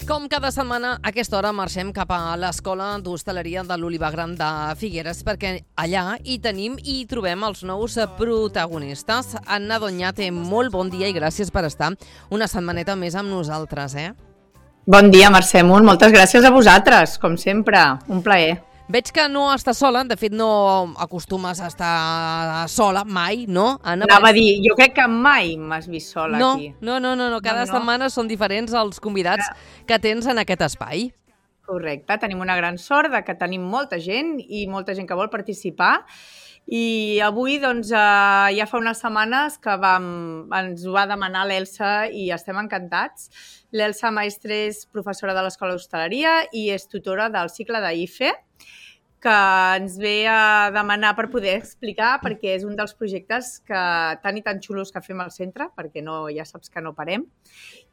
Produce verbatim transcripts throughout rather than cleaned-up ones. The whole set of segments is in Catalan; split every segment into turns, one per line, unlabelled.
Com cada setmana, a aquesta hora marxem cap a l'Escola d'Hostaleria de l'Olivar Gran de Figueres perquè allà hi tenim i hi trobem els nous protagonistes. Anna Doñate, molt bon dia i gràcies per estar una setmaneta més amb nosaltres, eh?
Bon dia, Mercè Munt. Moltes gràcies a vosaltres, com sempre. Un plaer.
Veig que no estàs sola, de fet no acostumes a estar sola mai, no? Anna,
Anava a dir, jo crec que mai m'has vist sola
no,
aquí.
No, no, no, no, cada
no, no.
setmana són diferents els convidats que tens en aquest espai.
Correcte, tenim una gran sort de que tenim molta gent i molta gent que vol participar. I avui, doncs, eh, ja fa unes setmanes que vam, ens ho va demanar l'Elsa i estem encantats. L'Elsa Maestre és professora de l'Escola d'Hostaleria i és tutora del cicle d'I F E, que ens ve a demanar per poder explicar, perquè és un dels projectes que, tan i tan xulos que fem al centre, perquè no, ja saps que no parem,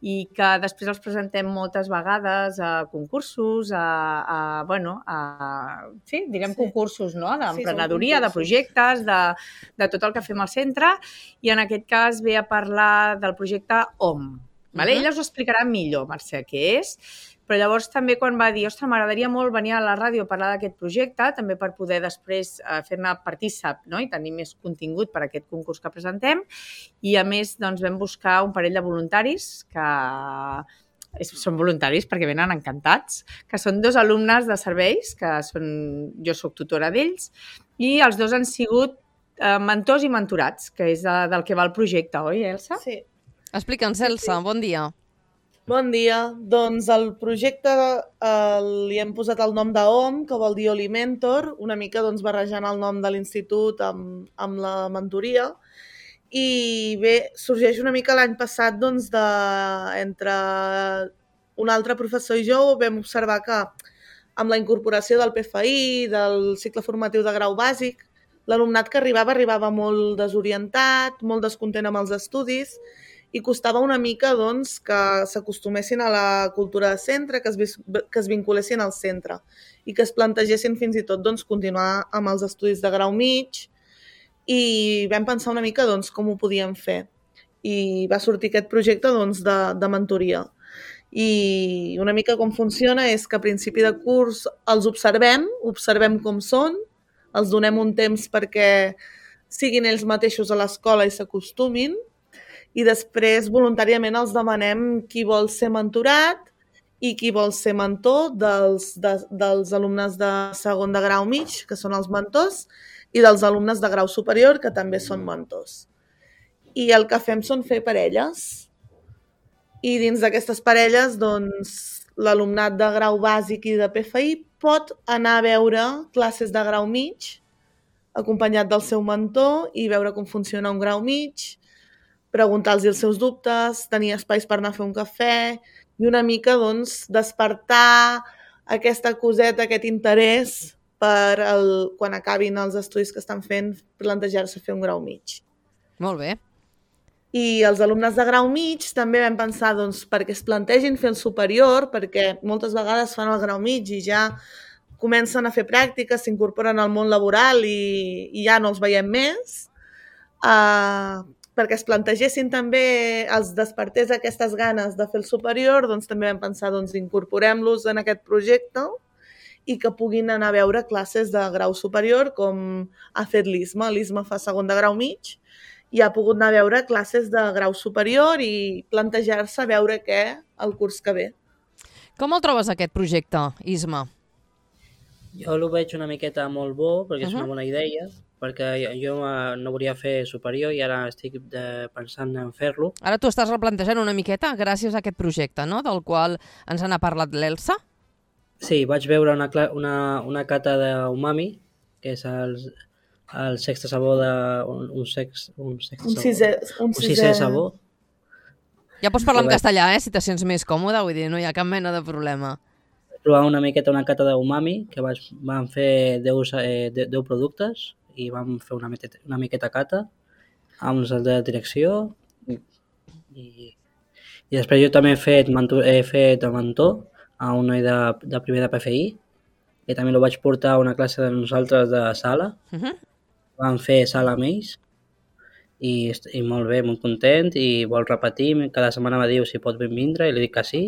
i que després els presentem moltes vegades a concursos, a, a bueno, a, sí, direm sí. concursos, no?, d'emprenedoria, sí, de projectes, de, de tot el que fem al centre, i en aquest cas ve a parlar del projecte O M. Vale? Uh-huh. Ella us ho explicarà millor, Mercè, què és. Però llavors també quan va dir, ostres, m'agradaria molt venir a la ràdio a parlar d'aquest projecte, també per poder després eh, fer-ne partícip, no?, i tenir més contingut per a aquest concurs que presentem. I a més, doncs, vam buscar un parell de voluntaris que és, són voluntaris perquè venen encantats, que són dos alumnes de serveis, que són, jo soc tutora d'ells, i els dos han sigut eh, mentors i mentorats, que és de, del que va el projecte, oi, Elsa?
Sí.
Explica'ns, Elsa, bon dia.
Bon dia. Doncs el projecte eh, li hem posat el nom d'O M, que vol dir Olimentor, una mica doncs, barrejant el nom de l'institut amb, amb la mentoria. I bé, sorgeix una mica l'any passat doncs, de, entre un altre professor i jo vam observar que amb la incorporació del P F I, del cicle formatiu de grau bàsic, l'alumnat que arribava arribava molt desorientat, molt descontent amb els estudis, i costava una mica doncs, que s'acostumessin a la cultura de centre, que es, que es vinculessin al centre i que es plantegessin fins i tot doncs, continuar amb els estudis de grau mig, i vam pensar una mica doncs, com ho podíem fer. I va sortir aquest projecte doncs, de, de mentoria. I una mica com funciona és que a principi de curs els observem, observem com són, els donem un temps perquè siguin ells mateixos a l'escola i s'acostumin, i després voluntàriament els demanem qui vol ser mentorat i qui vol ser mentor dels, de, dels alumnes de segon de grau mig, que són els mentors, i dels alumnes de grau superior, que també són mentors. I el que fem són fer parelles. I dins d'aquestes parelles, doncs, l'alumnat de grau bàsic i de P F I pot anar a veure classes de grau mig, acompanyat del seu mentor, i veure com funciona un grau mig, preguntar-los els seus dubtes, tenir espais per anar a fer un cafè i una mica doncs, despertar aquesta coseta, aquest interès per el, quan acabin els estudis que estan fent, plantejar-se fer un grau mig.
Molt bé.
I els alumnes de grau mig també vam pensar doncs, perquè es plantegin fer el superior, perquè moltes vegades fan el grau mig i ja comencen a fer pràctiques, s'incorporen al món laboral i, i ja no els veiem més. Uh, perquè es plantegessin també, els despertés aquestes ganes de fer el superior, doncs també vam pensar, doncs incorporem-los en aquest projecte i que puguin anar a veure classes de grau superior, com ha fet l'I S M A. L'I S M A fa segon de grau mig i ha pogut anar a veure classes de grau superior i plantejar-se a veure què el curs que ve.
Com el trobes, aquest projecte, I S M A?
Jo el veig una miqueta molt bo, perquè és
Uh-huh.
una bona idea, perquè jo no volia fer superior i ara estic de, pensant en fer-lo.
Ara tu estàs replantejant una miqueta gràcies a aquest projecte, no?, del qual ens n'ha parlat l'Elsa.
Sí, vaig veure una, una, una cata d'umami, que és el, el sexte sabor de... Un, un, sex, un, sexte
Un
sabor,
sisè, un
un sisè sabor.
Ja pots parlar en
vaig-
castellà, eh, si te sents més còmode, vull dir, no hi ha cap mena de problema.
Provar una miqueta una cata d'umami, que vaig, vam fer deu, eh, deu productes i vam fer una miqueta, una miqueta cata amb els de direcció i, i després jo també he fet, mentor, he fet de mentor a un noi de, de primer de P F I i també el vaig portar a una classe de nosaltres de sala.
Uh-huh.
Vam fer sala amb ells i, i molt bé, molt content i vol repetir. Cada setmana me diu si pot vindre i li dic que sí.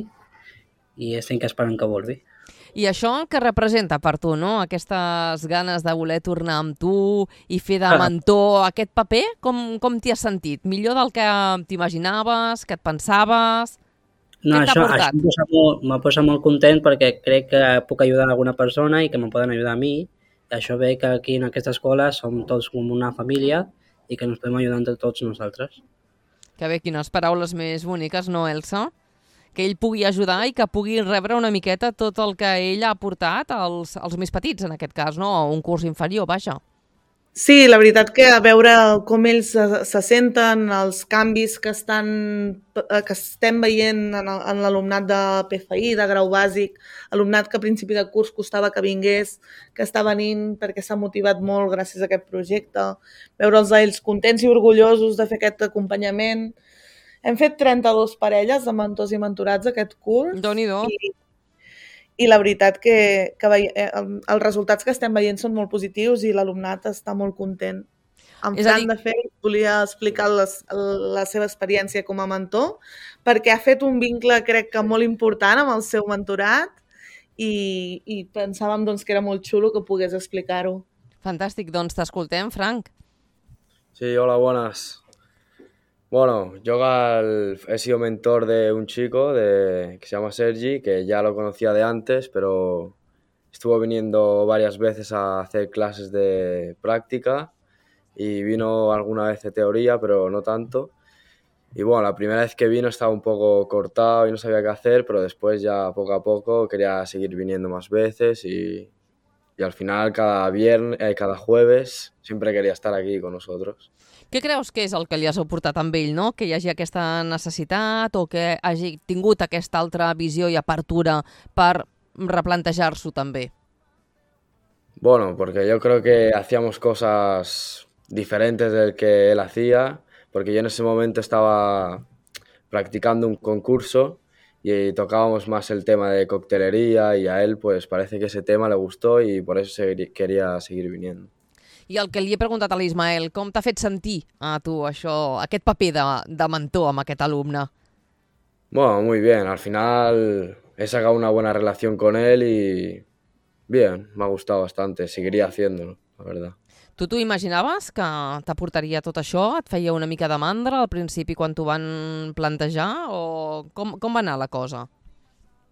i estic esperant que volvi.
I això què representa per tu, no? Aquestes ganes de voler tornar amb tu i fer de mentor, aquest paper, com, com t'hi has sentit? Millor del que t'imaginaves, que et pensaves?
No,
Què t'ha
això,
portat?
això em posa molt, me posa molt content perquè crec que puc ajudar alguna persona i que me poden ajudar a mi. I això ve que aquí en aquesta escola som tots com una família i que ens podem ajudar entre tots nosaltres.
Que bé, quines paraules més boniques, no, Elsa? Que ell pugui ajudar i que pugui rebre una miqueta tot el que ell ha aportat als, als més petits, en aquest cas, no? A un curs inferior, vaja.
Sí, la veritat que a veure com ells se, se senten, els canvis que, estan, que estem veient en, el- en l'alumnat de P F I, de grau bàsic, alumnat que a principi de curs costava que vingués, que està venint perquè s'ha motivat molt gràcies a aquest projecte, veure'ls a ells contents i orgullosos de fer aquest acompanyament. Hem fet trenta-dues parelles de mentors i mentorats aquest curs.
Déu-n'hi-do.
I, i la veritat que, que veie, eh, el- els resultats que estem veient són molt positius i l'alumnat està molt content. En
És a
Fran,
dir-
de fet, volia explicar les, la seva experiència com a mentor perquè ha fet un vincle, crec que molt important amb el seu mentorat i, i pensàvem doncs, que era molt xulo que pogués explicar-ho.
Fantàstic, doncs t'escoltem, Frank.
Sí, hola, buenas. Bueno, yo al- he sido mentor de un chico de, que se llama Sergi, que ya lo conocía de antes, pero estuvo viniendo varias veces a hacer clases de práctica y vino alguna vez de teoría, pero no tanto. Y bueno, la primera vez que vino estaba un poco cortado y no sabía qué hacer, pero después ya poco a poco quería seguir viniendo más veces y, y al final cada viernes, eh, cada jueves siempre quería estar aquí con nosotros.
Què creus que és el que li has aportat amb ell, no? Que hi hagi aquesta necessitat o que hagi tingut aquesta altra visió i apertura per replantejar-s'ho també?
Bueno, porque yo creo que hacíamos cosas diferentes del que él hacía, porque yo en ese momento estaba practicando un concurso y tocábamos más el tema de coctelería y a él pues parece que ese tema le gustó y por eso segui- quería seguir viniendo.
I el que li he preguntat a l'Ismael, com t'ha fet sentir a tu això, aquest paper de, de mentor amb aquest alumne?
Bueno, muy bien, al final he sacado una buena relación con él y bien, me ha gustado bastante, seguiría haciéndolo, la verdad.
Tu t'ho imaginaves que t'aportaria tot això? Et feia una mica de mandra al principi quan t'ho van plantejar? O com, com va anar la cosa?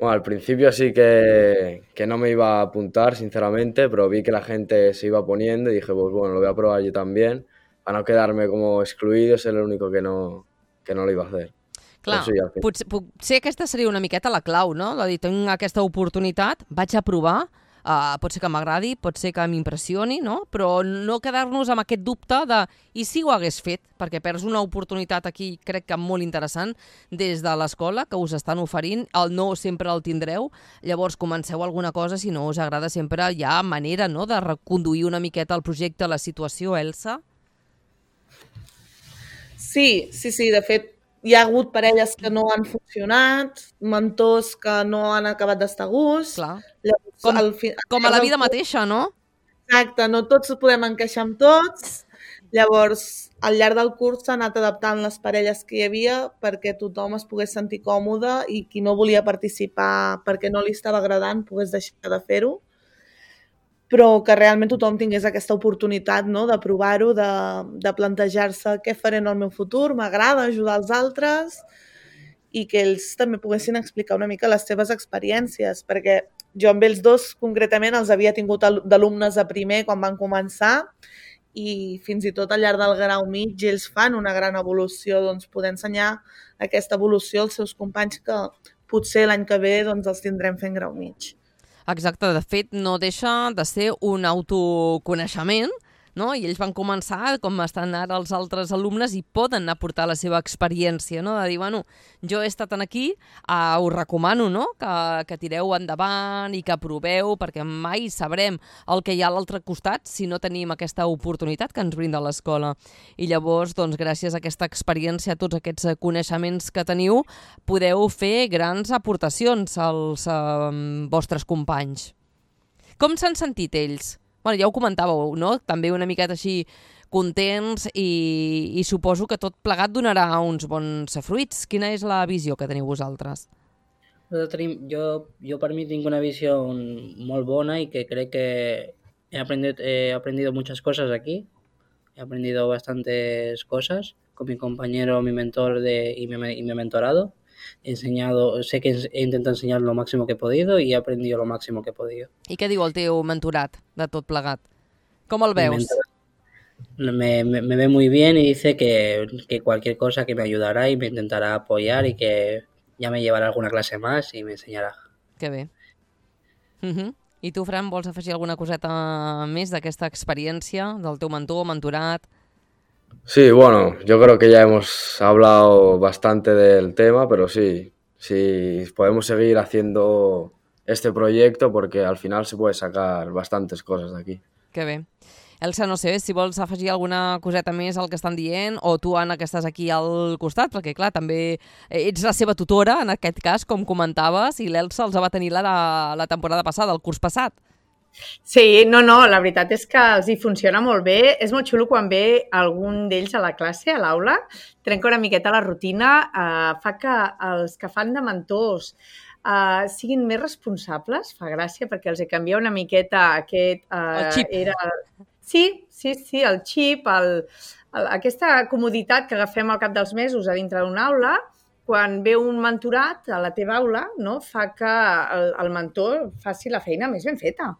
Bueno, al principio sí que, que no me iba a apuntar, sinceramente, pero vi que la gente se iba poniendo y dije, pues bueno, lo voy a probar yo también, para no quedarme como excluido, ser el único que no, que no lo iba a hacer.
Clar,
Però sí, al final.
potser, potser aquesta seria una miqueta la clau, no? De dir, tinc aquesta oportunitat, vaig a provar, uh, pot ser que m'agradi, pot ser que m'impressioni, no? Però no quedar-nos amb aquest dubte de i si ho hagués fet, perquè perds una oportunitat aquí, crec que molt interessant, des de l'escola, que us estan oferint, el no sempre el tindreu, llavors comenceu alguna cosa, si no us agrada sempre hi ha manera, no?, de reconduir una miqueta el projecte, la situació, Elsa?
Sí, sí, sí, de fet, hi ha hagut parelles que no han funcionat, mentors que no han acabat d'estar a gust.
Clar.
Llavors,
Com-
al fi-
Com a la
al
vida
curs-
mateixa, no?
Exacte, no tots podem encaixar amb tots. Llavors, al llarg del curs s'han anat adaptant les parelles que hi havia perquè tothom es pogués sentir còmode i qui no volia participar perquè no li estava agradant pogués deixar de fer-ho, però que realment tothom tingués aquesta oportunitat, no?, de provar-ho, de, de plantejar-se què faré en el meu futur, m'agrada ajudar els altres i que ells també poguessin explicar una mica les seves experiències, perquè jo amb ells dos concretament els havia tingut al- d'alumnes a primer quan van començar i fins i tot al llarg del grau mig ells fan una gran evolució, doncs poder ensenyar aquesta evolució als seus companys que potser l'any que ve doncs, els tindrem fent grau mig.
Exacte, de fet, no deixa de ser un autoconeixement, no? I ells van començar com estan ara els altres alumnes i poden aportar la seva experiència, no? De dir, bueno, jo he estat aquí, uh, us recomano, no?, que, que tireu endavant i que proveu, perquè mai sabrem el que hi ha a l'altre costat si no tenim aquesta oportunitat que ens brinda l'escola. I llavors, doncs, gràcies a aquesta experiència, a tots aquests eh, coneixements que teniu, podeu fer grans aportacions als eh, vostres companys. Com s'han sentit ells? Bueno, ja ho comentàveu, no? També una miqueta així contents i, i suposo que tot plegat donarà uns bons fruits. Quina és la visió que teniu vosaltres?
Tenim, jo, jo per mi tinc una visió molt bona y que creo que he aprendido, he aprendido muchas cosas aquí. He aprendido bastantes cosas con mi compañero, mi mentor de, y, mi, y mi mentorado. He enseñado, sé que he intentado enseñar lo máximo que he podido y he aprendido lo máximo que he podido.
I què diu el teu mentorat de tot plegat? Com el
Mi
veus?
mentor me, me, me ve muy bien y dice que, que cualquier cosa que me ayudará y me intentará apoyar y que ya me llevará alguna clase más y me enseñará.
Que bé. Uh -huh. I tu, Fran, vols afegir alguna coseta més d'aquesta experiència, del teu mentor, mentorat?
Sí, bueno, yo creo que ya hemos hablado bastante del tema, pero sí, sí, podemos seguir haciendo este proyecto porque al final se puede sacar bastantes cosas de aquí.
Que bé. Elsa, no sé si vols afegir alguna coseta més al que estan dient, o tu, Anna, que estàs aquí al costat, perquè, clar, també ets la seva tutora, en aquest cas, com comentaves, i l'Elsa els va tenir la, la temporada passada, el curs passat.
Sí, no, no, la veritat és que els hi funciona molt bé. És molt xulo quan ve algun d'ells a la classe, a l'aula, trenca una miqueta la rutina, eh, fa que els que fan de mentors eh, siguin més responsables, fa gràcia, perquè els hi canvia una miqueta aquest... Eh,
El xip.
Era... Sí, sí, sí, el xip, el, el, aquesta comoditat que agafem al cap dels mesos a dintre d'una aula, quan ve un mentorat a la teva aula, no, fa que el, el mentor faci la feina més ben feta.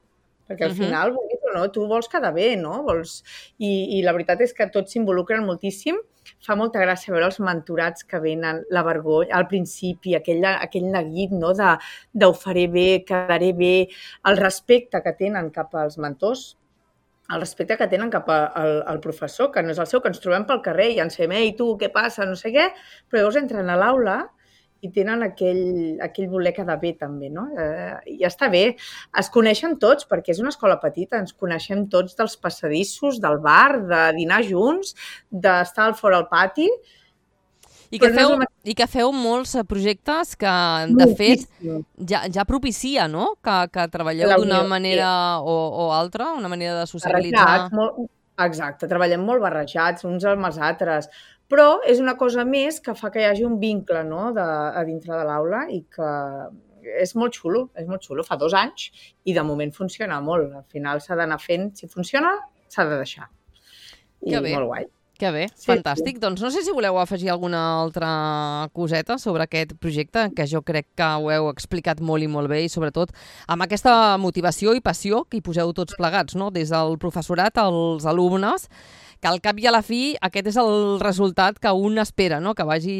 Perquè al
Uh-huh.
final, vulguis o no, tu vols quedar bé, no? Vols... I, I la veritat és que tots s'involucren moltíssim. Fa molta gràcia veure els mentorats que venen, la vergonya, al principi, aquell, aquell neguit, no?, de, de ho faré bé, quedaré bé, el respecte que tenen cap als mentors, el respecte que tenen cap al, al professor, que no és el seu, que ens trobem pel carrer i ens fem, ei, tu, què passa, no sé què, però llavors entren a l'aula i tenen aquell, aquell voler quedar bé també, no? Eh, I està bé. Es coneixen tots, perquè és una escola petita, ens coneixem tots dels passadissos, del bar, de dinar junts, d'estar al fora al pati.
I que,
Però no
feu,
és el mateix.
I que feu molts eh, projectes que, de fet,
Moltíssim.
ja, ja propicia, no?, que, que treballeu
La
d'una
unió,
manera o, o altra, una manera de socialitzar.
Barrejats, molt... Exacte, treballem molt barrejats, uns amb els altres, però és una cosa més que fa que hi hagi un vincle, no?, de, a dintre de l'aula i que és molt xulo, és molt xulo. Fa dos anys i de moment funciona molt. Al final s'ha d'anar fent, si funciona, s'ha de deixar. I
Que bé.
molt guai.
Que bé,
Sí,
fantàstic. Doncs no sé si voleu afegir alguna altra coseta sobre aquest projecte, que jo crec que ho heu explicat molt i molt bé, i sobretot amb aquesta motivació i passió que hi poseu tots plegats, no?, des del professorat als alumnes, que al cap i a la fi aquest és el resultat que un espera, no?, que vagi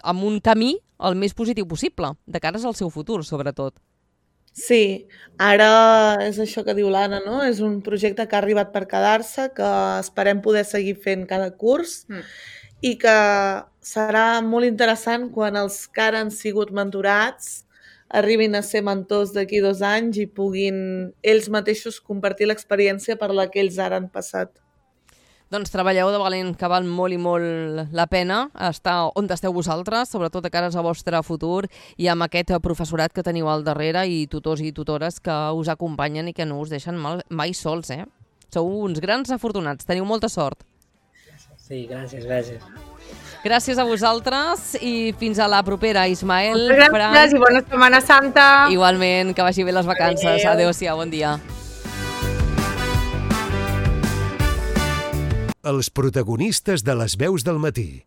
amb un camí el més positiu possible, de cares al seu futur, sobretot.
Sí, ara és això que diu l'Anna, no? És un projecte que ha arribat per quedar-se, que esperem poder seguir fent cada curs
Mm.
i que serà molt interessant quan els que ara han sigut mentorats arribin a ser mentors d'aquí dos anys i puguin ells mateixos compartir l'experiència per la que ells ara han passat.
Doncs treballeu de valent, que val molt i molt la pena estar on esteu vosaltres, sobretot de cares al vostre futur, i amb aquest professorat que teniu al darrere i tutors i tutores que us acompanyen i que no us deixen mal, mai sols, eh? Sou uns grans afortunats, teniu molta sort.
Sí, gràcies, gràcies.
Gràcies a vosaltres i fins a la propera, Ismael,
Moltes
Fran.
gràcies i bona Setmana Santa.
Igualment, que vagi bé les vacances.
Adéu.
Adéu-siau, bon dia.
Els protagonistes de les veus del matí.